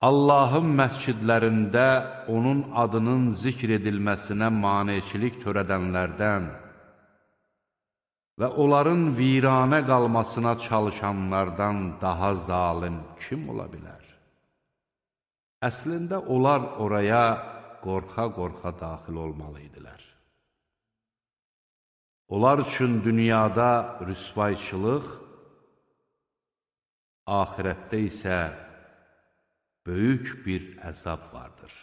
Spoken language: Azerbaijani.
Allahın məscidlərində onun adının zikr edilməsinə maneçilik törədənlərdən və onların viranə qalmasına çalışanlardan daha zalim kim ola bilər? Əslində, onlar oraya qorxa-qorxa daxil olmalı idilər. Onlar üçün dünyada rüsvayçılıq, axirətdə isə böyük bir əzab vardır.